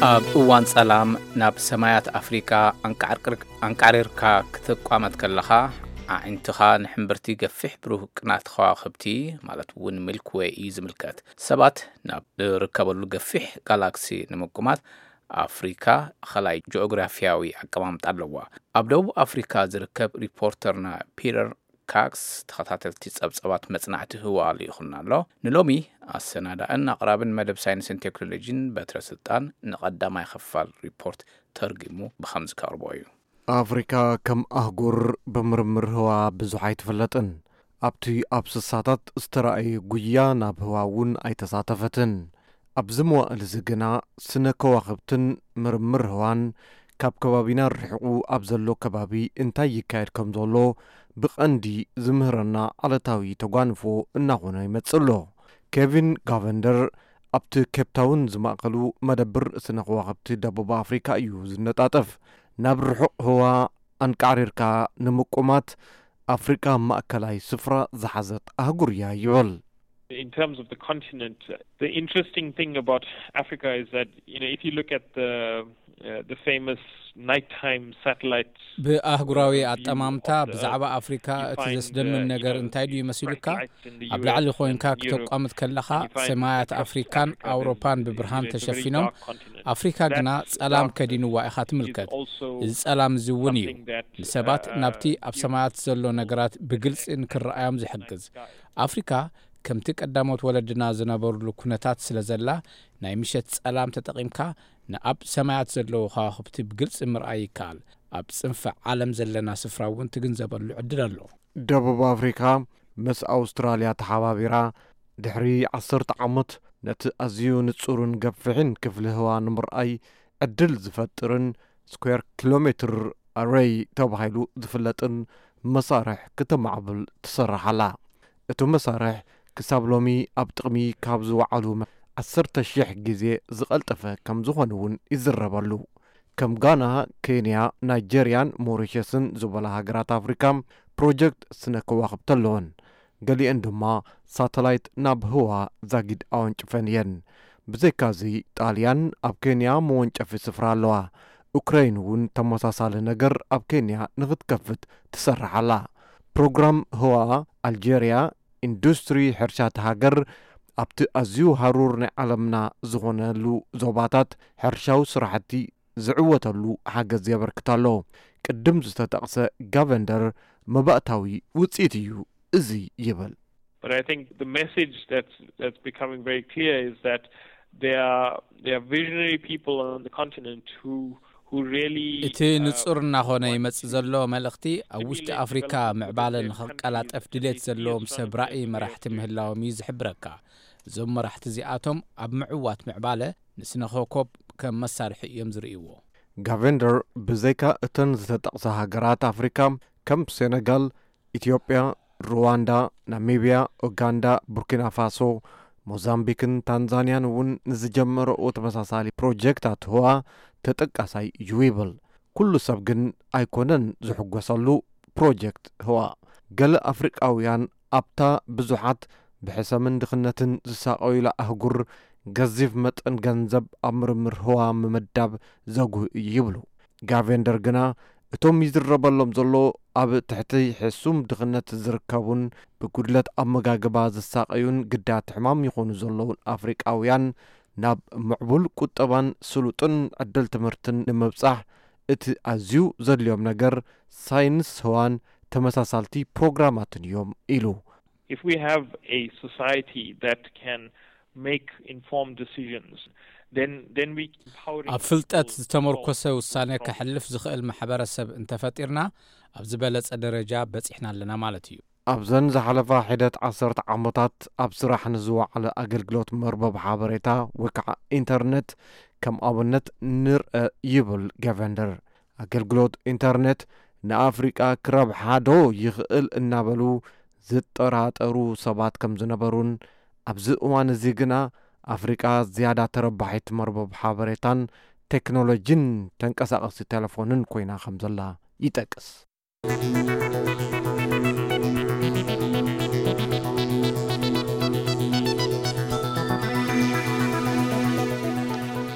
ኣብ እዋን ጸላም ናብ ሰማያት ኣፍሪቃ ኣንቃዕርቅር-፣ ኣንቃዕሪርካ ክትቋመት ከለኻ፣ ኣዒንትኻ ንሕምብርቲ ገፊሕ ብሩህ ቅናት ከዋኽብቲ፣ ማለት እውን ሚልክ ዌይ እዩ ዝምልከት። ሰባት ናብ ዝርከበሉ ገፊሕ ጋላክሲ ንምቁማት፣ ኣፍሪካ ኸላይ ጂኦግራፊያዊ ኣቀማምጣ ኣለዋ። ኣብ ደቡብ ኣፍሪካ ዝርከብ ሪፖርተርና ፒተር ካክስ ተኸታተልቲ ጸብጸባት መጽናዕቲ ህዋ ልኢኹልና ኣሎ። ንሎሚ ኣሰናዳእን ኣቕራብን መደብ ሳይንስን ቴክኖሎጂን በትረ ስልጣን ንቐዳማይ ክፋል ሪፖርት ተርጊሙ ብኸምዚ ከቕርቦ እዩ። ኣፍሪካ ከም ኣህጉር ብምርምር ህዋ ብዙሕ ኣይትፍለጥን። ኣብቲ ኣብ ስሳታት ዝተራእየ ጉያ ናብ ህዋ እውን ኣይተሳተፈትን። ኣብዚ መዋእል እዚ ግና ስነ ከዋኽብትን ምርምር ህዋን ካብ ከባቢና ርሒቑ ኣብ ዘሎ ከባቢ እንታይ ይካየድ ከም ዘሎ ብቐንዲ ዝምህረና ዓለታዊ ተጓንፎ እናኾነ ይመጽእ ኣሎ። ኬቪን ጋቨንደር ኣብቲ ኬፕታውን ዝማእከሉ መደብር ስነ ከዋኽብቲ ደቡብ ኣፍሪካ እዩ ዝነጣጠፍ። ናብ ርሑቕ ህዋ ኣንቃዕሪርካ ንምቁማት ኣፍሪቃ ማእከላይ ስፍራ ዝሓዘት ኣህጉር እያ ይብል። In terms of the continent, the interesting thing about Africa is that, you know, if you look at the, uh, the famous nighttime satellite, ብኣህጉራዊ uh, view ኣጠማምታ of the ብዛዕባ Earth, ኣፍሪካ you እቲ find ዘስደምም uh, you ነገር know, እንታይ ድዩ you find መሲሉካ? Lights in the ኣብ ላዕሊ U S ኮይንካ and Europe, ክተቋምት ከለኻ and you find ሰማያት uh, ኣፍሪካን Africa, for አውሮፓን example, ብብርሃን is a very ተሸፊኖም። Dark continent. ኣፍሪካ ግና ጸላም ከዲንዋ ኢኻ ትምልከት። እዚ ጸላም እዚ እውን እዩ ንሰባት ናብቲ ኣብ ሰማያት ዘሎ ነገራት ብግልጺ ንክረኣዮም ዝሕግዝ። ኣፍሪካ ከምቲ ቀዳሞት ወለድና ዝነበሩሉ ኩነታት ስለ ዘላ፣ ናይ ምሸት ጸላም ተጠቒምካ ንኣብ ሰማያት ዘለዉ ከዋኽብቲ ብግልጺ ምርኣይ ይከኣል። ኣብ ጽንፈ ዓለም ዘለና ስፍራ እውን ትግንዘበሉ ዕድል ኣሎ። ደቡብ ኣፍሪካ ምስ ኣውስትራልያ ተሓባቢራ ድሕሪ ዓሰርተ ዓመት ነቲ ኣዝዩ ንጹርን ገፊሕን ክፍሊ ህዋ ንምርኣይ ዕድል ዝፈጥርን ስኩዌር ኪሎ ሜትር ኣረይ ተባሂሉ ዝፍለጥን መሳርሕ ክተማዕብል ትሰርሕ ኣላ። እቲ መሳርሕ ክሳብ ሎሚ ኣብ ጥቕሚ ካብ ዝወዓሉ ዓሰርተ ሺሕ ግዜ ዝቐልጠፈ ከም ዝኾነ እውን ይዝረበሉ። ከም ጋና፣ ኬንያ፣ ናይጀርያን ሞሪሸስን ዝበላ ሃገራት ኣፍሪካ ፕሮጀክት ስነ ከዋኽብቲ ኣለወን። ገሊአን ድማ ሳተላይት ናብ ህዋ ዛጊድ ኣወንጭፈን እየን። ብዘይካዚ ጣልያን ኣብ ኬንያ መወንጨፊ ስፍራ ኣለዋ። ኡክረይን እውን ተመሳሳሊ ነገር ኣብ ኬንያ ንኽትከፍት ትሰርሕ ኣላ። ፕሮግራም ህዋ ኣልጀርያ ኢንዱስትሪ ሕርሻ እቲ ሃገር ኣብቲ ኣዝዩ ሃሩር ናይ ዓለምና ዝኾነሉ ዞባታት ሕርሻዊ ስራሕቲ ዝዕወተሉ ሓገዝ የበርክት ኣሎ። ቅድም ዝተጠቕሰ ጋቨንደር መባእታዊ ውፅኢት እዩ እዚ ይብል። But I think the message that's that's becoming very clear is that there are there are visionary people on the continent who who really እቲ uh, ንጹር እናኾነ want ይመጽእ to ዘሎ መልእኽቲ ኣብ ውሽጢ stimulate ኣፍሪካ development ምዕባለ within their ንኽቀላጠፍ countries ድሌት because ዘለዎም it's ሰብ trying to ራእይ create a መራሕቲ future. ምህላዎም እዩ ዝሕብረካ። እዞም መራሕቲ እዚኣቶም ኣብ ምዕዋት ምዕባለ ንስነ ኮኮብ ከም መሳርሒ እዮም ዝርእይዎ። ጋቨንደር ብዘይካ እተን ዝተጠቕሳ ሃገራት ኣፍሪካ ከም ሴነጋል፣ ኢትዮጵያ፣ ሩዋንዳ፣ ናሚብያ፣ ኡጋንዳ፣ ቡርኪና ፋሶ፣ ሞዛምቢክን ታንዛንያን እውን ንዝጀመረኦ ተመሳሳሊ ፕሮጀክታት ህዋ ተጠቃሳይ እዩ ይብል። ኩሉ ሰብ ግን ኣይኮነን ዝሕጎሰሉ ፕሮጀክት ህዋ። ገለ ኣፍሪቃውያን ኣብታ ብዙሓት ብሕሰምን ድኽነትን ዝሳቐዩላ ኣህጉር ገዚፍ መጠን ገንዘብ ኣብ ምርምር ህዋ ምምዳብ ዘጉህ እዩ ይብሉ። ጋቬንደር ግና እቶም ይዝረበሎም ዘሎ ኣብ ትሕቲ ሕሱም ድኽነት ዝርከቡን ብጉድለት ኣመጋግባ ዝሳቐዩን ግዳያት ሕማም ይኾኑ ዘለውን ኣፍሪቃውያን ናብ ምዕቡል ቁጠባን ስሉጥን ዕድል ትምህርትን ንምብጻሕ እቲ ኣዝዩ ዘድልዮም ነገር ሳይንስ ህዋን ተመሳሳልቲ ፕሮግራማትን እዮም ኢሉ። If we have a society that can make informed decisions, then then we empowering ኣብ ፍልጠት people ዝተመርኮሰ from ውሳነ from ከሕልፍ ዝኽእል ማሕበረሰብ እንተፈጢርና ኣብ ዝበለጸ ደረጃ በጺሕና ኣለና ማለት እዩ። ኣብዘን ዝሓለፋ ሒደት ዓሰርተ ዓመታት ኣብ ስራሕ ንዝወዓለ ኣገልግሎት መርበብ ሓበሬታ ወይ ከዓ ኢንተርኔት ከም ኣብነት ንርአ ይብል ገቨንደር። ኣገልግሎት ኢንተርኔት ንኣፍሪቃ ክረብሓ ዶ ይኽእል እናበሉ ዝጠራጠሩ ሰባት ከም ዝነበሩን ኣብዚ እዋን እዚ ግና ኣፍሪቃ ዝያዳ ተረባሒት መርበብ ሓበሬታን ቴክኖሎጂን ተንቀሳቐሲ ቴሌፎንን ኮይና ከም ዘላ ይጠቅስ።